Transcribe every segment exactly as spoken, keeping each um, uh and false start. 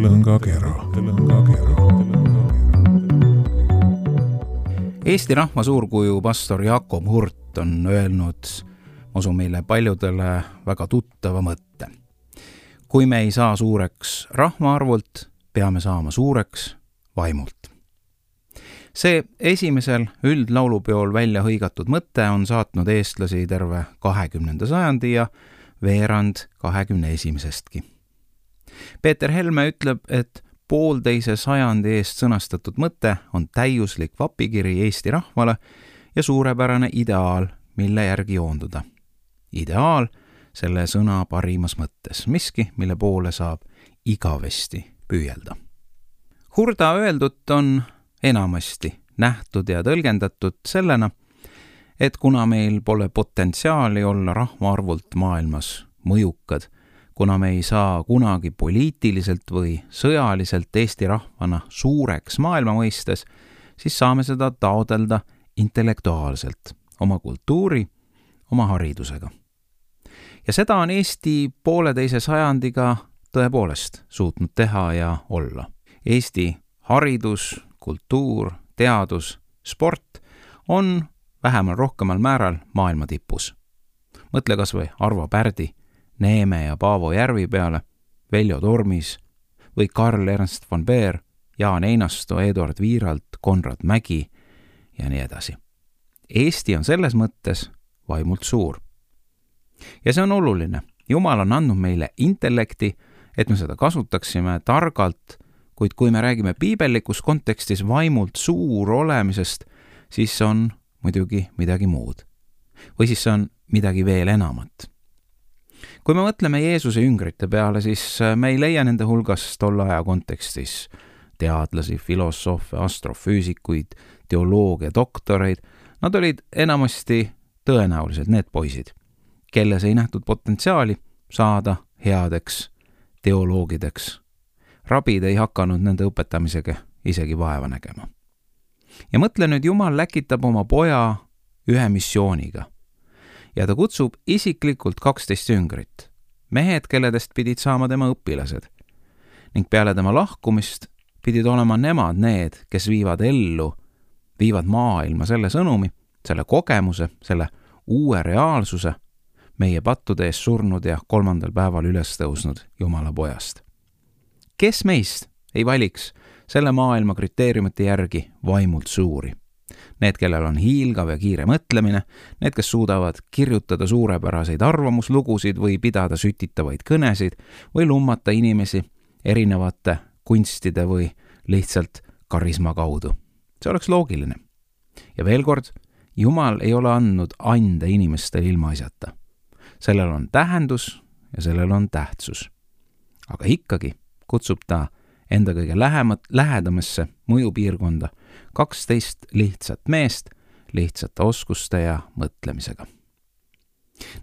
Lõngakera. Eesti rahva suurkuju pastor Jakob Hurt on öelnud, usun meile paljudele väga tuttava mõtte. Kui me ei saa suureks rahvaarvult, peame saama suureks vaimult. See esimesel üldlaulupeol välja hõigatud mõte on saatnud eestlasi terve kahekümnenda sajandi ja veerand kahekümne esimesestki. Peeter Helme ütleb, et poolteise sajandi eest sõnastatud mõte on täiuslik vapikiri Eesti rahvale ja suurepärane ideaal, mille järgi joonduda. Ideaal selle sõna parimas mõttes, miski, mille poole saab igavesti püüelda. Hurda öeldut on enamasti nähtud ja tõlgendatud sellena, et kuna meil pole potentsiaali olla rahvaarvult maailmas mõjukad, kuna me ei saa kunagi poliitiliselt või sõjaliselt Eesti rahvana suureks maailma mõistes, siis saame seda taodelda intellektuaalselt, oma kultuuri, oma haridusega. Ja seda on Eesti pooleteise sajandiga tõepoolest suutnud teha ja olla. Eesti haridus, kultuur, teadus, sport on vähemal rohkemal määral maailma tipus. Mõtle kas või Arvo Pärdi, Neeme ja Paavo Järvi peale, Veljo Tormis või Karl Ernst von Beer, Jaan Einasto, Eduard Viiralt, Konrad Mägi ja nii edasi. Eesti on selles mõttes vaimult suur. Ja see on oluline. Jumal on andnud meile intellekti, et me seda kasutaksime targalt, kuid kui me räägime piibellikus kontekstis vaimult suur olemisest, siis on muidugi midagi muud. Või siis on midagi veel enamat. Kui me mõtleme Jeesuse jüngrite peale, siis me ei leia nende hulgas tolle aja kontekstis teadlasi, filosoofe, astrofüüsikuid, teoloogia doktoreid. Nad olid enamasti tõenäoliselt need poisid, kelles ei nähtud potentsiaali saada headeks teoloogideks. Rabid ei hakanud nende õpetamisega isegi vaeva nägema. Ja mõtle nüüd, Jumal läkitab oma poja ühe missiooniga. Ja ta kutsub isiklikult kaksteist jüngrit, mehed, kelledest pidid saama tema õpilased. Ning peale tema lahkumist pidid olema nemad need, kes viivad ellu, viivad maailma selle sõnumi, selle kogemuse, selle uue reaalsuse, meie pattude ees surnud ja kolmandal päeval üles tõusnud Jumala pojast. Kes meist ei valiks selle maailma kriteeriumite järgi vaimult suuri? Need, kellel on hiilgav ja kiire mõtlemine, need, kes suudavad kirjutada suurepäraseid arvamuslugusid või pidada sütitavaid kõnesid või lummata inimesi erinevate kunstide või lihtsalt karisma kaudu. See oleks loogiline. Ja veel kord, Jumal ei ole andnud ande inimestele ilmaasjata. Sellel on tähendus ja sellel on tähtsus. Aga ikkagi kutsub ta enda kõige lähemat, lähedamasse mõjupiirkonda kaksteist lihtsat meest lihtsate oskuste ja mõtlemisega.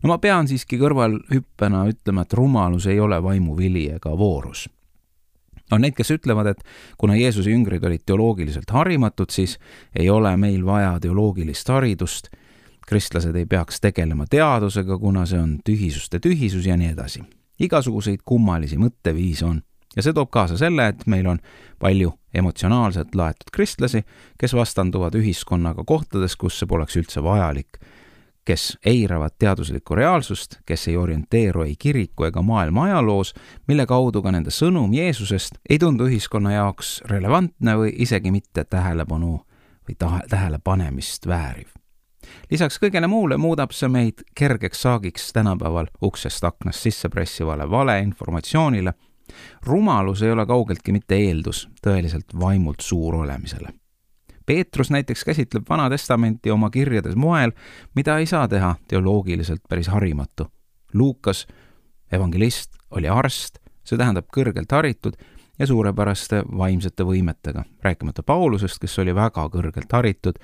No ma pean siiski kõrval hüppena ütlema, et rumalus ei ole vaimuvili ega voorus. On neid, kes ütlevad, et kuna Jeesuse jüngrid olid teoloogiliselt harimatud, siis ei ole meil vaja teoloogilist haridust, kristlased ei peaks tegelema teadusega, kuna see on tühisuste tühisus ja nii edasi. Igasuguseid kummalisi mõtteviis on. Ja see toob kaasa selle, et meil on palju emotsionaalselt laetud kristlasi, kes vastanduvad ühiskonnaga kohtades, kus see poleks üldse vajalik, kes eiravad teaduslikku reaalsust, kes ei orienteeru ei kiriku ega maailma ajaloos, mille kaudu ka nende sõnum Jeesusest ei tundu ühiskonna jaoks relevantne või isegi mitte tähelepanu või tähelepanemist vääriv. Lisaks kõigele muule muudab see meid kergeks saagiks tänapäeval uksest aknast sisse pressivale valeinformatsioonile. Rumalus ei ole kaugeltki mitte eeldus tõeliselt vaimult suur olemisele. Peetrus näiteks käsitleb Vana Testamenti oma kirjades moel, mida ei saa teha teoloogiliselt päris harimatu. Luukas, evangelist, oli arst, see tähendab kõrgelt haritud ja suurepäraste vaimsete võimetega, rääkimata Paulusest, kes oli väga kõrgelt haritud.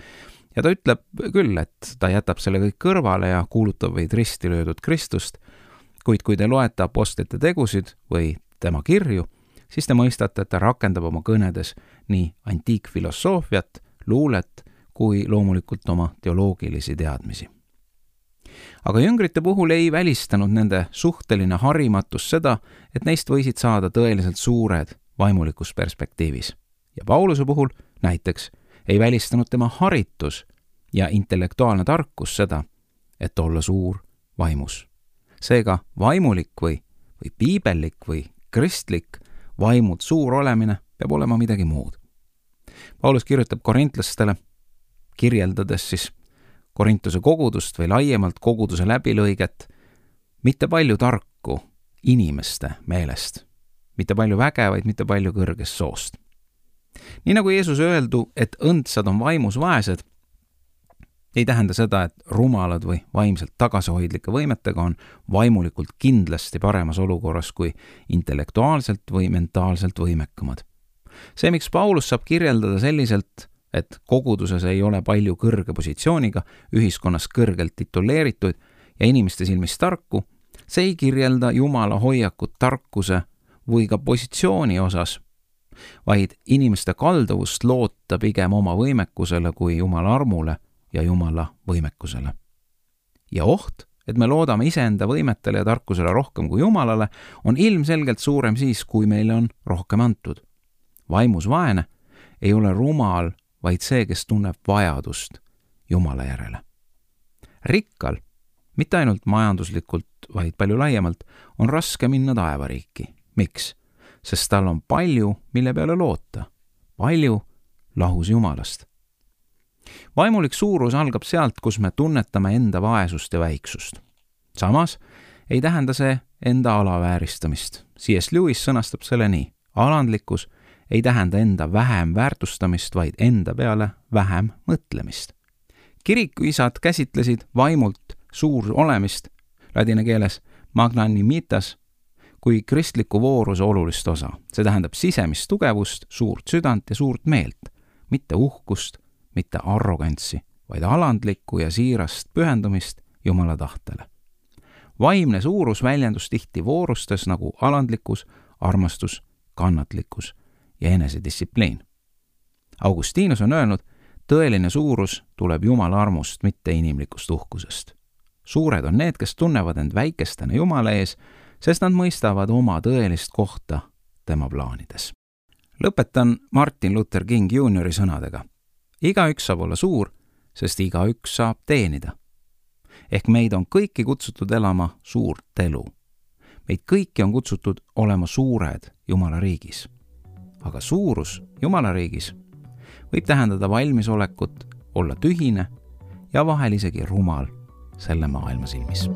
Ja ta ütleb küll, et ta jätab selle kõik kõrvale ja kuulutab vaid risti löödud Kristust, kuid kui te loete apostlite tegusid või tema kirju, siis te mõistate, et ta rakendab oma kõnedes nii antiikfilosoofiat, luulet kui loomulikult oma teoloogilisi teadmisi. Aga jüngrite puhul ei välistanud nende suhteline harimatus seda, et neist võisid saada tõeliselt suured vaimulikus perspektiivis. Ja Pauluse puhul näiteks ei välistanud tema haritus ja intellektuaalne tarkus seda, et olla suur vaimus. Seega vaimulik või, või piibellik või kristlik vaimult suur olemine peab olema midagi muud. Paulus kirjutab korintlastele, kirjeldades siis Korintuse kogudust või laiemalt koguduse läbilõiget, mitte palju tarku inimeste meelest, mitte palju vägevaid, mitte palju kõrgest soost. Nii nagu Jeesus öeldu, et õndsad on vaimus vaesed, ei tähenda seda, et rumalad või vaimselt tagasihoidlike võimetega on vaimulikult kindlasti paremas olukorras kui intellektuaalselt või mentaalselt võimekamad. See, miks Paulus saab kirjeldada selliselt, et koguduses ei ole palju kõrge positsiooniga, ühiskonnas kõrgelt tituleerituid ja inimeste silmis tarku, see ei kirjelda Jumala hoiakut tarkuse või ka positsiooni osas, vaid inimeste kalduvust loota pigem oma võimekusele kui Jumala armule ja Jumala võimekusele. Ja oht, et me loodame iseenda võimetele ja tarkusele rohkem kui Jumalale, on ilmselgelt suurem siis, kui meile on rohkem antud. Vaimus vaene ei ole rumal, vaid see, kes tunneb vajadust Jumala järele. Rikkal, mitte ainult majanduslikult, vaid palju laiemalt, on raske minna taevariiki. Miks? Sest tal on palju, mille peale loota. Palju lahus Jumalast. Vaimulik suurus algab sealt, kus me tunnetame enda vaesust ja väiksust. Samas ei tähenda see enda alavääristamist. C S Lewis sõnastab selle nii. Alandlikkus ei tähenda enda vähem väärtustamist, vaid enda peale vähem mõtlemist. Kirikuisad käsitlesid vaimult suur olemist, ladina keeles magnanimitas, kui kristliku vooruse olulist osa. See tähendab sisemist tugevust, suurt südant ja suurt meelt, mitte uhkust, mitte arrogantsi, vaid alandlikku ja siirast pühendumist Jumala tahtele. Vaimne suurus väljendus tihti voorustes nagu alandlikkus, armastus, kannatlikkus ja enesedistsipliin. Augustinus on öelnud, tõeline suurus tuleb Jumala armust, mitte inimlikust uhkusest. Suured on need, kes tunnevad end väikestena Jumala ees, sest nad mõistavad oma tõelist kohta tema plaanides. Lõpetan Martin Luther King juuniori sõnadega. Igaüks saab olla suur, sest igaüks saab teenida. Ehk meid on kõiki kutsutud elama suurt elu. Meid kõiki on kutsutud olema suured Jumala riigis. Aga suurus Jumala riigis võib tähendada valmisolekut olla tühine ja vahel isegi rumal selle maailma silmis.